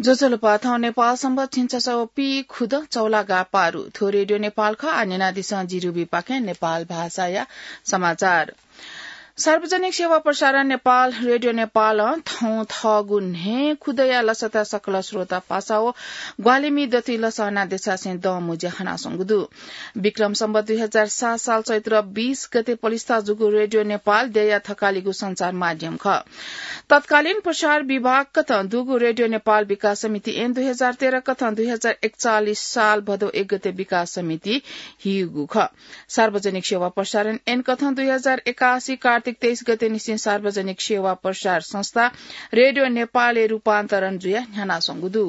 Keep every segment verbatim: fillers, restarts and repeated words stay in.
ज्वजलपा, थौं नेपाल संवत् झिंछसः व पीखुदँ चौलागा पारु। थ्व रेडियो नेपाल खः। आः न्यनादिसँ जि रुबीपाखें नेपाल भाषाया समाचार। सार्वजनिक सेवा प्रसारण नेपाल, रेडियो नेपालं थौं थःगु न्हय्‌खुदँया लसताय् सकल श्रोता पासा व ग्वाहालि मि दथुइ लसना देछासें दंमुँज्या हनाच्वंगु दु। विक्रम सम्वत दुई हजार सात साल चैत्र बीस गते पलिस्था जूगु रेडियो नेपाल देय्‌या थकालिगु सञ्चार माध्यम खः। तत्कालीन प्रसार विभाग कथं दुगु रेडियो नेपाल विकास समिति ऐन दुई हजार तेह्र कथं दुई हजार एकचालिस साल भदौ एक गते विकास समिति हीगु खः। सार्वजनिक सेवा प्रसारण ऐन कथं दुई हजार एकासी कार्तिक तेइस गते निसें सार्वजनिक सेवा प्रसार संस्था रेडियो नेपालय् रूपान्तरण जुयाः न्ह्यानाच्वंगु दु।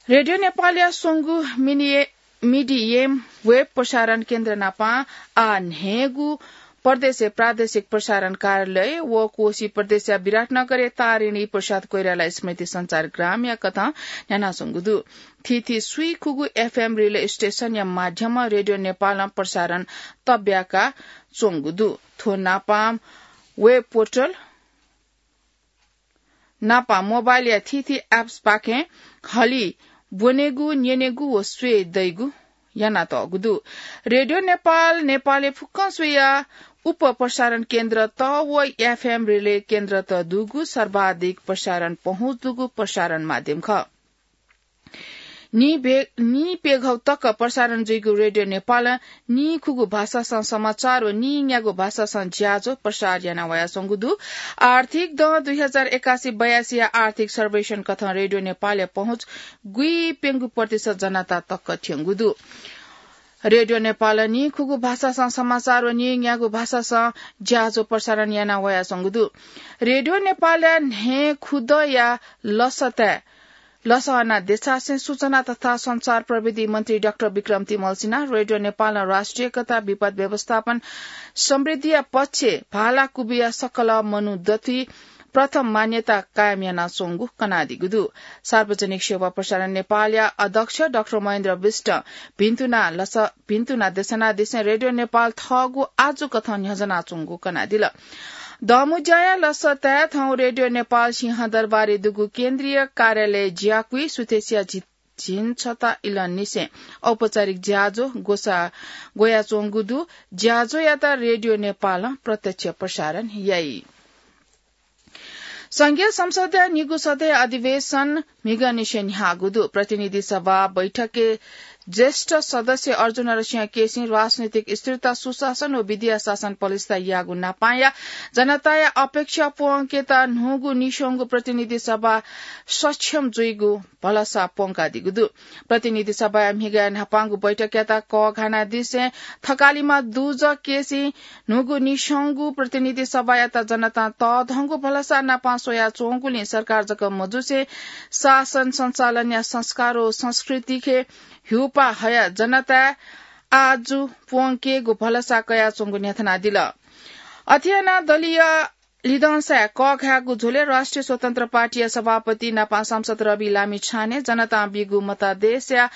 रेडियो नेपालया स्वंगू मिनिए-, मिडियम वेब प्रसारण केन्द्र नापं आः न्हय्‌गू प्रदेशय् प्रादेशिक प्रसारण कार्यालय व कोशी प्रदेशया विराटनगरय् तारिणी प्रसाद कोइराला स्मृति सञ्चार ग्रामया कथं न्ह्यानाच्वंगु दु। थीथी स्वीखुगू एफएम रिले स्टेशनया माध्यमं रेडियो नेपालं प्रसारण तब्याका च्वंगु दु। थ्व नापं वेब पोर्टल नापं मोबाइलया थीथी एप्सपाखें हलिं ब्वनेगु, न्यनेगु व स्वये दइगु यानातःगु दु। रेडियो नेपाल नेपालय् फुक्कं स्वयाः उप प्रसारण केन्द्रत व एफएम रिले केन्द्रत दुगु सर्वाधिक प्रसारण पहुँच दुगु प्रसारण माध्यम खः। नीभे-, नीप्यघौ तक प्रसारण जुइगु रेडियो नेपालं नीखुगू भाषासं समाचार व नीन्यागू भाषासं ज्याझ्वः प्रसार याना वयाच्वंगु दु। आर्थिक दँ दुई हजार एकासी बयासीया आर्थिक सर्वेक्षण कथं रेडियो नेपालया पहुँच गुइप्यंगू प्रतिशत जनता तक थ्यंगु दु। रेडियो नेपालं नीखुगू भाषासं समाचार व नीन्यागू भाषासं ज्याझ्वः प्रसारण याना वयाच्वंगु दु। रेडियो नेपालया न्हय्‌खुदँया लसताय् लसना देछासें सूचना तथा सञ्चार प्रविधि मन्त्री डाक्टर विक्रम तिमल्सिनां रेडियो नेपालं राष्ट्रिय एकता, विपद व्यवस्थापन, समृद्धिया पक्षय् भाला कुबिया सकल मनू दथुइ प्रथम मान्यता कायम यानाच्वंगु कनादीगु दु। सार्वजनिक सेवा प्रसारण नेपालया अध्यक्ष डाक्टर महेन्द्र विष्ट भिन्तुना लस-, भिन्तुना देछानादिसें रेडियो नेपाल थःगु आजु कथं न्ह्यज्वनाच्वंगु कनादिल। दंमुँज्याया लसताय् थौं रेडियो नेपाल सिंहदरबारय् दुगु केन्द्रीय कार्यालय ज्याकुइ सुथसिया झि-, झिंछता इलंनिसें औपचारिक ज्याझ्वः ग्वसा-, ग्वयाच्वंगु दु। ज्याझ्वःयात रेडियो नेपालं प्रत्यक्ष प्रसारण याइ। संघीय संसदया निगू सदय अधिवेशन म्हिगंनिसें न्ह्याःगु दु। प्रतिनिधि सभा बैठकय् ज्येष्ठ सदस्य अर्जुन नरसिंह केसीं राजनैतिक स्थिरता, सुशासन व विधिया शासन पलिस्था याःगु नापांया जनताया अपेक्षा प्वंकेत न्हूगु निस्वंगू प्रतिनिधि सभा सक्षम जुइगु भलसा प्वंकादीगु दु। प्रतिनिधि सभाया म्हिगः न्हापांगु बैठकयात कःघानादिसें थकालिमा दुजः केसीं न्हूगु निस्वंगू प्रतिनिधि सभायात जनतां तःधंगु भलसा नापं स्वयाच्वंगुलिं सरकार जक मजुसे शासन सञ्चालनया संस्कार व संस्कृतिखे ह्यूपाः हयाः जनताय् आजु प्वंकेगु भलसा कयाच्वंगु न्ह्यथनादिल। अथे यानाः दलीय लिधंसाय् कःघायेगु झ्वलय् राष्ट्रिय स्वतन्त्र पार्टीया सभापति नापं सांसद रवि लामिछाने जनतां बीगु मतादेशया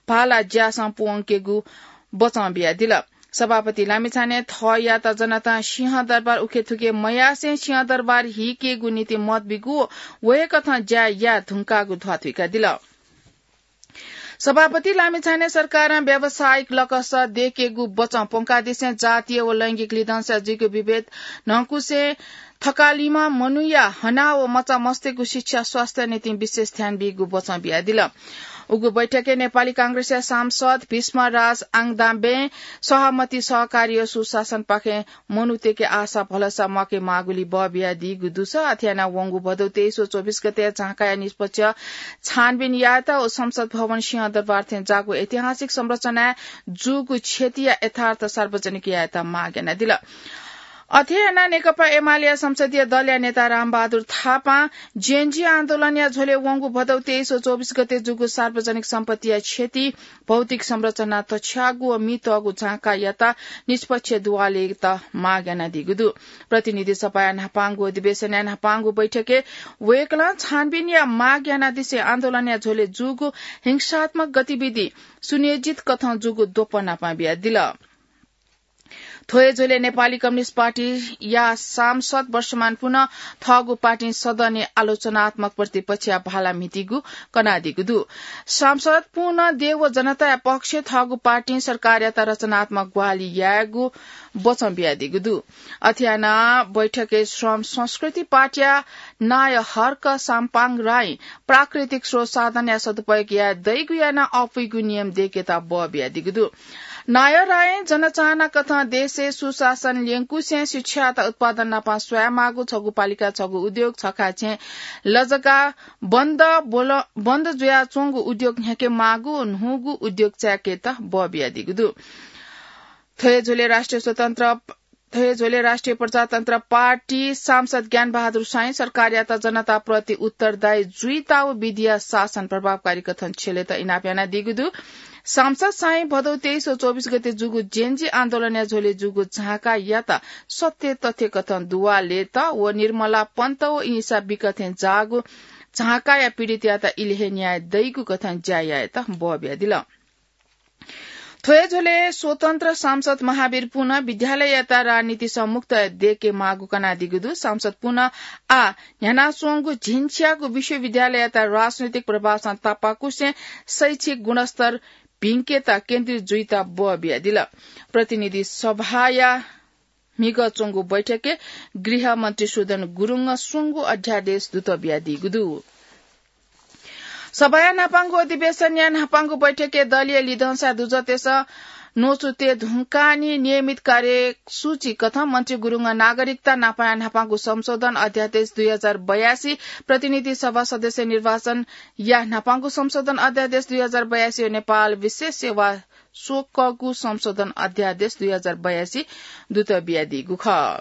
भाला ज्यासं प्वंकेगु बचं बियादिल। सभापति लामिछाने थःयात जनतां सिंहदरबार उखेथुखे मयासें सिंहदरबार हीकेगु निंतिं मत बीगु व हे कथं ज्या याये धुंकाःगु ध्वाथुइकादिल। सभापति लामिछाने सरकारं व्यावसायिक लकस दयेकेगु बचं प्वंकादिसें जातीय व लैंगिक लिधंसाय् जुइगु विभेद न्हंकुसें थकालिम्ह मनूया हना व मचा मस्तय्गु शिक्षा स्वास्थ्य निंतिं विशेष ध्यान बीगु बचं बियादिल। उगु बैठकय् नेपाली कांग्रेसया सांसद भीष्मराज आङदांबें सहमति सहकारी व सुशासनपाखें मनूतय्के आशा भलसा म्वाके माःगुलिं बः बियादीगु दुसा। अथे यानाः वंगु भदौ तेइस व चौबिस गते झांकाया निष्पक्ष छानबिन यायेत व संसद भवन सिंहदरबार थें जाःगु ऐतिहासिक संरचनाय् जूगु क्षतिया यथार्थ सार्वजनिक यायेत माग यानादिल। अथे यानाः नेकपा एमालेया संसदीय दलया नेता रामबहादुर थापां जेनजी आन्दोलनया झ्वलय् वंगु भदौ तेइस व चौबिस गते जूगु सार्वजनिक सम्पत्तिया क्षति, भौतिक संरचना तछ्याःगु व मि तःगु झांकायात निष्पक्ष दुवालेत माग यानादीगु दु। प्रतिनिधि सभाया न्हापांगु अधिवेशनया न्हापांगु बैठकय् वय्कलं छानबिनया माग यानादिसें आन्दोलनया झ्वलय् जूगु हिंसात्मक गतिविधि सुनियोजित कथं जूगु द्वपं नापं बियादिल। थ्व हे झ्वलय् नेपाली कम्युनिस्ट पार्टीया सांसद वर्षमान पुन थःगु पार्टीं सदनय् आलोचनात्मक प्रतिपक्षया भाला म्हितीगु कनादीगु दु। सांसद पुन देव जनताया पक्षय् थःगु पार्टीं सरकारयात रचनात्मक ग्वाहालि यायेगु वचं बियादीगु दु। अथे यानाः बैठकय् श्रम संस्कृति पार्टीया नायः हर्क साम्पाङ राई प्राकृतिक स्रोत साधनया सदुपयोग याये दइगु यानाः अपुइगु नियम दय्केत बः बियादीगु दु। नायः राईं जनचाहना कथं देशय् सुशासन ल्यंकुसें शिक्षायात उत्पादन नापं स्वयामाःगु, छगू पालिका छगू उद्योग, छखा छेँ लजगाः बन्द बोल-, बन्द जुयाच्वंगु उद्योग न्ह्याकेमाःगु, न्हूगु उद्योग चाय्केत बः बियादीगु दु। थ्व हे झ्वलय् राष्ट्रिय स्वतन्त्र थ्व हे झ्वलय् राष्ट्रिय प्रजातन्त्र पार्टी सांसद ज्ञानबहादुर साईं सरकारयात जनताप्रति उत्तरदायी जुइत व विधिया शासन प्रभावकारी कथं छ्यलेत इनाप यानादीगु दु। सांसद साईं भदौ तेइस व चौबिस गते जूगु जेनजी आन्दोलनया झ्वलय् जूगु झाँकायात सत्य तथ्य कथं दुवालेत व निर्मला पन्त व इनिसा बिक थें जाःगु झाँकाया पीडितयात इलय् हे न्याय दइगु कथं ज्या यायेत बः बियादिल। थ्व हे झ्वलय् स्वतन्त्र सांसद महावीर पुन विद्यालययात राजनीतिसं मुक्त दय्केमाःगु कनादीगु दु। सांसद पुन आः न्ह्यानाच्वंगु झिंछियागु विश्वविद्यालययात राजनैतिक प्रभावसं तापाकुसें शैक्षिक गुणस्तर भिंकेत केन्द्रित जुइत बः बियादिल। प्रतिनिधि सभाया म्हिगः च्वंगु बैठकय् गृहमन्त्री सुदन गुरुङं स्वंगू अध्यादेश दुत बियादीगु दु। सभाया न्हापांगु अधिवेशनया न्हापांगु बैठकय् दलीय लिधंसा दुजःतेसं न्वचु तये धुंकाः निं नियमित कार्यसूची कथं मन्त्री गुरुङं नागरिकता नापाया न्हापांगु संशोधन अध्यादेश दुई हजार बयासी, प्रतिनिधि सभा सदस्य निर्वाचनया न्हापांगु संशोधन अध्यादेश दुई हजार बयासी व नेपाल विशेष सेवा स्वकःगु संशोधन अध्यादेश दुई हजार बयासी दुत बियादीगु खः।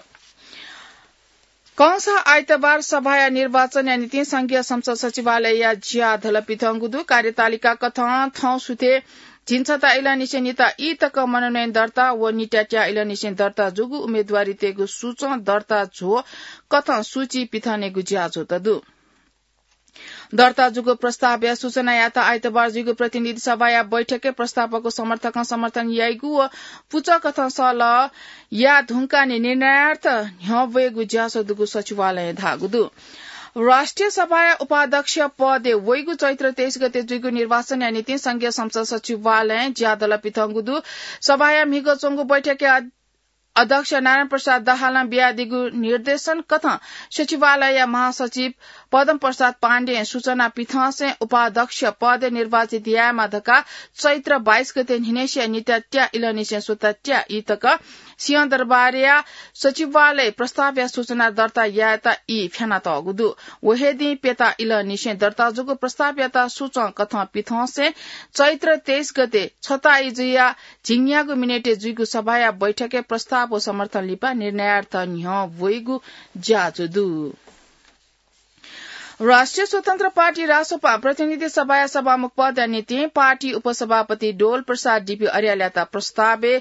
कंसाः आइतबार सभाया निर्वाचनया निंतिं संघीय संसद सचिवालयया ज्या धलपिथंगु दु। कार्यतालिका कथं थौं सुथय् झिंछता इलंनिसें निता ई तक मनोनयन दर्ता व निता त्या इलंनिसें दर्ता जूगु उम्मेदवारीतय्गु सूचं दर्ता झ्वः कथं सूची पिथनेगु ज्याझ्वः दु। दर्ता जूगु प्रस्तावया सूचनायात आइतबार जुइगु प्रतिनिधि सभाया बैठकय् प्रस्तावको समर्थकं समर्थन याइगु व पुचःकथं सल्लाह याये धुंकाः निं निर्णयार्थ न्ह्यः वयेगु ज्याझ्वः दुगु सचिवालयं धाःगु दु। राष्ट्रिय सभाया उपाध्यक्ष पदय् वइगु चैत्र तेइस गते जुइगु निर्वाचनया निंतिं संघीय संसद सचिवालयं ज्या धलपिथंगु दु। सभाया म्हिगः च्वंगु बैठकय् अध्यक्ष नारायण प्रसाद दाहालं बियादीगु निर्देशन कथं सचिवालयया महासचिव पद्म प्रसाद पाण्डें सूचना पिथंसें उपाध्यक्ष पदय् निर्वाचित यायेमा धकाः चैत्र बाइस गते न्हिनय्सिया निता त्या इलंनिसें स्वता त्या ई तक सिंहदरबारया सचिवालय प्रस्तावया सूचना दर्ता यायेत ई फ्यानातःगु दु। व हे दिं प्यता इलंनिसें दर्ता जूगु प्रस्तावयात सूचं कथं पिथंसें चैत्र तेइस गते छता ई जुया झिंन्यागू मिनेटय् जुइगु सभाया बैठकय् प्रस्ताव व समर्थन लिपा निर्णयार्थ न्ह्यः वइगु ज्याझ्वः दु। राष्ट्रिय स्वतन्त्र पार्टी रासोपा प्रतिनिधि सभाया सभामुख पदया निंतिं पार्टी उपसभापति डोल प्रसाद डीपी अर्यालयात प्रस्तावय्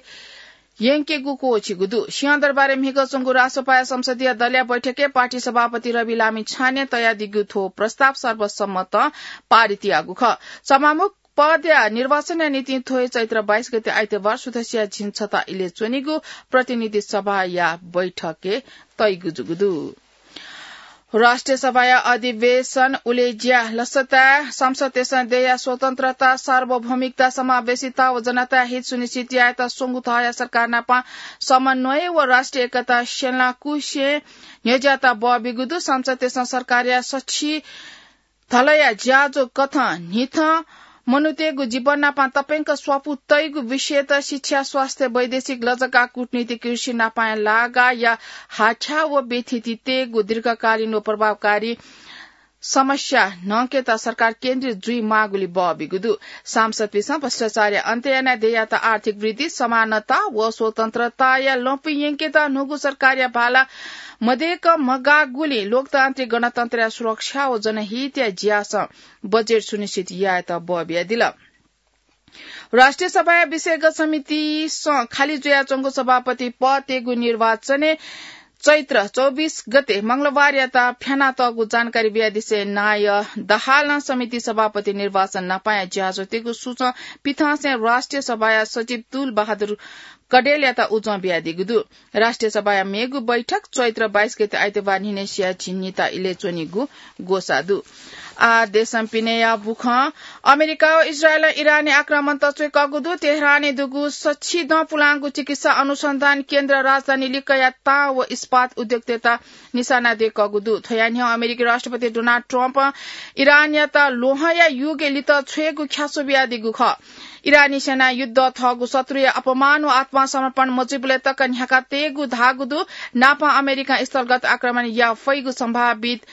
यंकेगु क्वःछिगु दु। सिंहदरबारय् म्हिगः च्वंगु रासोपाया संसदीय दलया बैठकय् पार्टी सभापति रवि लामिछानें तयादीगु थ्व प्रस्ताव सर्वसम्मतं पारित याःगु खः। सभामुख पदया निर्वाचनया निंतिं थ्व हे चैत्र बाइस गते आइतबार सुथसिया झिंछता इलय् च्वनीगु प्रतिनिधि सभाया बैठकय् तइगु जूगु दु। राष्ट्रिय सभाया अधिवेशन उलेज्या लसताय् सांसदतय्सं देय्या स्वतन्त्रता, सार्वभौमिकता, समावेशिता व जनताया हित सुनिश्चित यायेत स्वंगू थःया सरकार नाप समन्वय व राष्ट्रिय एकता स्यनाकुसें न्ह्यज्यात बः बिगु दु। सांसदतय्सं सरकारया सछि धलया ज्याझ्वः कथं न्हिथं मनूतय्गु जीवन नाप तप्यंक स्वापू तइगु विषयत शिक्षा, स्वास्थ्य, वैदेशिक, लजगाः, कूटनीति, कृषि नापया लागाःया हाथ्या व व्यथिति तयेगु दीर्घकालीन व प्रभावकारी समस्या न्हंकेत सरकार केन्द्रित जुइमाःगुलिं बः बिगु दु। सांसदपिसं भ्रष्टाचारया अन्त्य यानाः देय्यात आर्थिक वृद्धि, समानता व स्वतन्त्रताया लँपुइ यंकेत न्हूगु सरकारया भाला मदय्क मगाःगुलिं लोकतान्त्रिक गणतन्त्रया सुरक्षा व जनहितया ज्यासं बजेट सुनिश्चित यायेत बः बियादिल। राष्ट्रिय सभाया विषयगत समितिसं खाली जुयाच्वंगु सभापति पदतय्गु निर्वाचनय् चैत्र चौबिस गते मंगलबारयात फ्यानातःगु जानकारी बियादिसें नायः दाहालं समिति सभापति निर्वाचन नापया ज्याझ्वःतय्गु सूचं पिथंसें राष्ट्रिय सभाया सचिव तुल बहादुर कडेलयात उजं बियादीगु दु। राष्ट्रिय सभाया मेगु बैठक चैत्र बाइस गते आइतबार न्हिनय् सिया झिंनिता इलय् च्वनीगु ग्वसाः दु। आ देशं पिनेयाबुखं अमेरिका व इजरायलं इरानय् आक्रमण तच्वय्कःगु दु। तेहरानय् दुगु सच्छिदँ पुलांगु चिकित्सा अनुसन्धान केन्द्र राजधानी लिक्कया तां व इस्पात उद्योगतय्त निशाना दय्कःगु दु। थ्वया न्ह्यः अमेरिकी राष्ट्रपति डोनाल्ड ट्रम्पं इरानयात ल्वहंया युगय् लित छ्वयेगु ख्यासो बियादीगु खः। इरानी सेनां युद्ध थःगु शत्रुया अपमान व आत्मसमर्पण मजुइबलय् तक न्ह्याका तयेगु धाःगु दु। नापं अमेरिकां स्थलगत आक्रमण या फइगु सम्भावित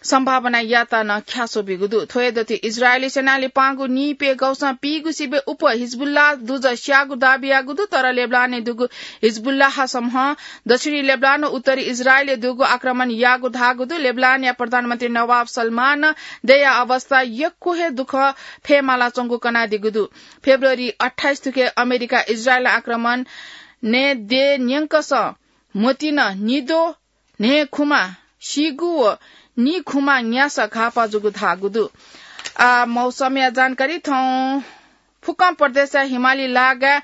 सम्भावनायात नं ख्यासो बीगु दु। थ्व हे दथुइ इजरायली सेनां लिपांगु नीप्यघौषं पीगु सिबय् उप हिजबुल्लाह दुजः स्याःगु दाबी याःगु दु, तर लेबनानय् दुगु हिजबुल्लाह समूहं दक्षिणी लेबनान व उत्तरी इजरायलय् दुगु आक्रमण याःगु धाःगु दु। लेबनानया प्रधानमन्त्री नवाब सलमानं दया अवस्था यक्व हे दुःख फयेमालाच्वंगु कनादीगु दु। फेब्रुअरी अट्ठाइस थुके अमेरिका इजरायल आक्रमण नये दये न्यंकसं म्वतिनं निद्वः न्हय्‌खुम्ह सीगु व निखुम्ह न्यासः घाःपाः जूगु धाःगु दु। आ, मौसमया जानकारी थौं फुक्कं प्रदेशया हिमाली लागाय्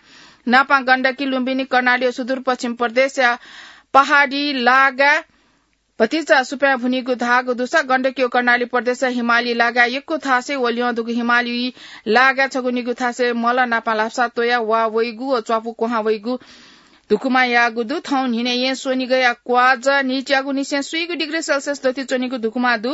नापां गण्डकी, लुम्बिनी, कर्णाली व सुदूरपश्चिम प्रदेशया पहाडी लागाय् भतिचा सुप्यां भुनीगु धाःगु दुसा गण्डकी व कर्णाली प्रदेशया हिमाली लागाय् यक्व थासय् व ल्यं दुगु हिमाली लागाय् छगू निगू थासय् मल नापां लापसा त्वया वा वइगु व च्वापु क्वहां वइगु धुकुमा याःगु दु। थौं न्हिनय् यें स्वनिगःया क्वाःजः नीच्यागु निसें स्वीगू डिग्री सेल्सियस दथुइ च्वनीगु धुकुमा दु।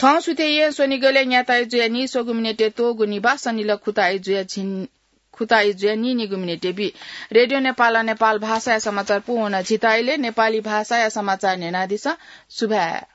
थौं सुथय् यें स्वनिगलय् न्याताइ जुया नीस्वगू मिनेटय् त्वःगू निभाः, सनिलः खुताइ जुया झिन-, खुताइ जुया नीनिगू मिनेटय् बी। रेडियो नेपालं नेपाल भाषाया समाचार पूवन झीत इलय् नेपाली भाषाया समाचार न्यनादिसँ। सुभाय्।